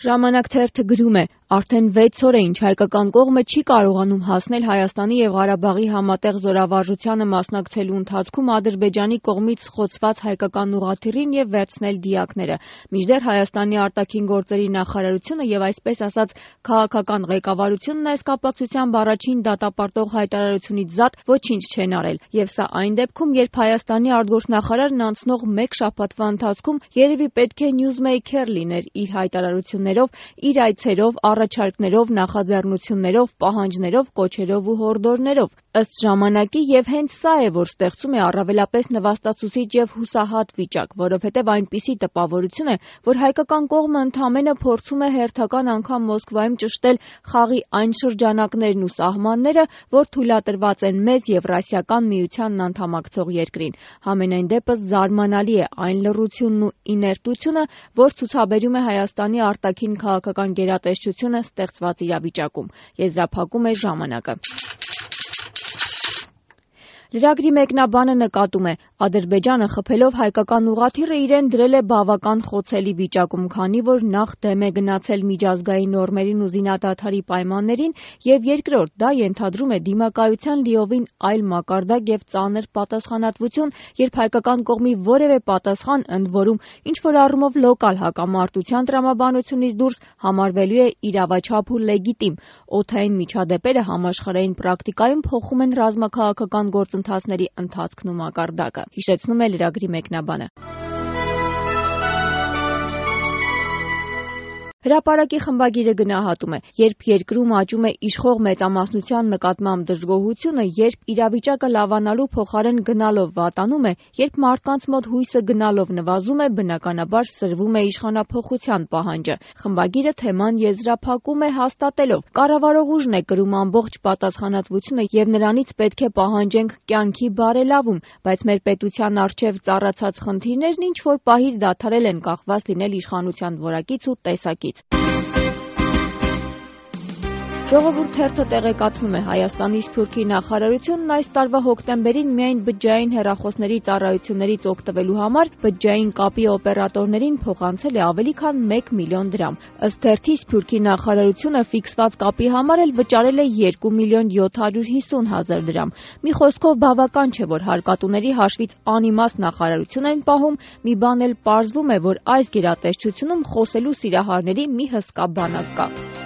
Ժամանակ թերթը գրում է. արդեն 6 օր է ինչ հայկական կողմը չի կարողանում հասնել Հայաստանի և Ղարաբաղի համատեղ զորավարժությանը մասնակցելու ընթացքում Ադրբեջանի կողմից խոցված հայկական ուղղաթիռին և վերցնել դիակները, մինչդեռ Հայաստանի արտաքին գործերի նախարարությունը և այսպես ասած քաղաքական ղեկավարությունն այս կապակցությամբ առաջին դատապարտող հայտարարությունից զատ ոչինչ չեն արել, և սա այն դեպքում, երբ Հայաստանի արտգործնախարարն անցնող մեկ շաբաթվա ընթացքում երևի պետք է նյուզմեյքեր լիներ իր հայտարարություններով, իր այցերով, առաջարկներով, նախաձեռնություններով, պահանջներով, կոչերով ու հորդորներով։ Ըստ ժամանակի և հենց սա է, որ ստեղծում է առավելապես նվաստացուցիչ և հուսահատ վիճակ, որովհետև այնպիսի տպավորություն է, որ հայկական կողմը ընդամենը փորձում է հերթական անգամ Մոսկվայում ճշտել խաղի այն շրջանակներն ու սահմանները, որ թույլատրված են մեզ Եվրասիական միությանն անդամակցող երկրին։ Համենայն դեպս զարմանալի է այն լռությունն ու իներտությունը, որ ցուցաբերում է Հայաստանի արտաքին քաղաքական գերատեսչությունը ստեղծված իրավիճակում։ Եզրափակում է ժամանակը։ Լրագրի մեկնաբանը նկատում է. Ադրբեջանը խփելով հայկական ուղղաթիռը իրեն դրել է բավական խոցելի վիճակում, քանի որ նախ դեմ է գնացել միջազգային նորմերին ու զինադադարի պայմաններին, և երկրորդ, դա ենթադրում է դիմակայության լիովին այլ մակարդակ և ծանր պատասխանատվություն, երբ հայկական կողմի որևէ պատասխան, ընդ որում ինչ-որ առումով լոկալ հակամարտության տրամաբանությունից դուրս, համարվելու է իրավաչափ ու լեգիտիմ։ Օդային միջադեպերը համաշխարհային պրակտիկայում փոխում են ռազմաքաղաքական գործընթացների ընթացքն ու մակարդակը, հիշեցնում է լրագրի մեկնաբանը։ Հրապարակի խմբագիրը գնահատում է. երբ երկրում աճում է իշխող մեծամասնության նկատմամբ դժգոհությունը, երբ իրավիճակը լավանալու փոխարեն գնալով վատանում է, երբ մարդկանց մոտ հույսը գնալով նվազում է, բնականաբար սրվում է իշխանափոխության պահանջը։ Խմբագիրը թեման եզրափակում է հաստատելով. կառավարող ուժն է կրում ամբողջ պատասխանատվությունը և նրանից պետք է պահանջենք կյանքի բարելավում, բայց մեր պետության առջև ծառացած խնդիրներն ինչ-որ պահից դադարել են կախված լինել իշխանության որակից ու տեսակից։ Ժողովուրդ թերթը տեղեկացնում է. Հայաստանի Սփյուռքի նախարարությունն այս տարվա հոկտեմբերին միայն բջջային հեռախոսների ծառայություններից օգտվելու համար բջջային կապի օպերատորներին փոխանցել է ավելի քան 1 միլիոն դրամ։ Ըստ թերթի, Սփյուռքի նախարարությունը ֆիքսված կապի համար էլ վճարել է 2 միլիոն 750 հազար դրամ։ Մի խոսքով բավական չէ, որ հարկատուների հաշվից անիմաստ նախարարություն են պահում, մի բան էլ պարզվում է, որ այս գերատեսչությունում խոսելու սիրահարների մի հսկա բանակ կա։